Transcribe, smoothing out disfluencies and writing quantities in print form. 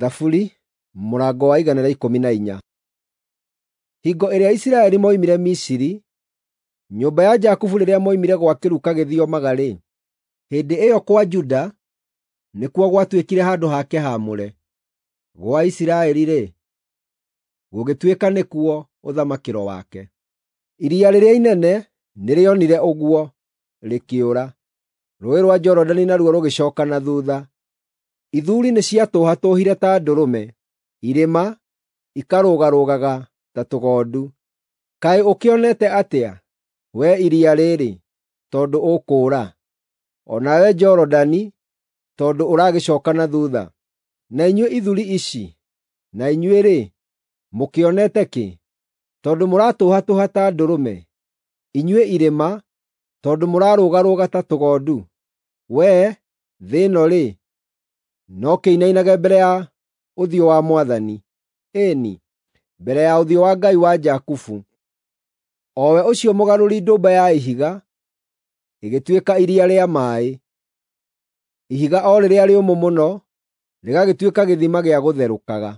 Thaburi mũrango wa 114. Hingo ĩrĩa Isiraeli moimire Misiri, nyũmba ya Jakubu rĩrĩa moimire gwa kĩruka gĩthiomaga-rĩ, hĩndĩ ĩyo kwa Juda nĩkuo gwatuĩkire handũ hake haamũre, gwa Isiraeli-rĩ, gũgĩtuĩka nĩkuo ũthamakĩro wake. Iria rĩrĩa inene nĩrĩonire ũguo, rĩkĩũra; Rũũĩ rwa Jorodani naruo rũgĩcooka na thuutha. Ithuri nĩciatũhatũũhire ta ndũrũme, irĩma ikarũgarũgaga ta tũgondu. Kaĩ ũkĩonete atĩa, wee iria rĩrĩ, tondũ ũkũũra, o nawe Jorodani, tondũ ũragĩcooka na thuutha? Na inyuĩ ithuri ici, na inyuĩ-rĩ, mũkĩonete kĩ, tondũ mũratũhatũũha ta ndũrũme, inyuĩ irĩma, tondũ mũrarũgarũga ta tũgondu? Wee, thĩ ĩno-rĩ, no kĩinainage mbere ya ũthiũ wa Mwathani, ĩĩ-ni, mbere ya ũthiũ wa Ngai wa Jakubu, o we ũcio mũgarũri ndũmba ya ihiga ĩgĩtuĩka iria rĩa maaĩ, ihiga o rĩrĩa rĩũmũ mũno rĩgagĩtuĩka gĩthima gĩa gũtherũkaga.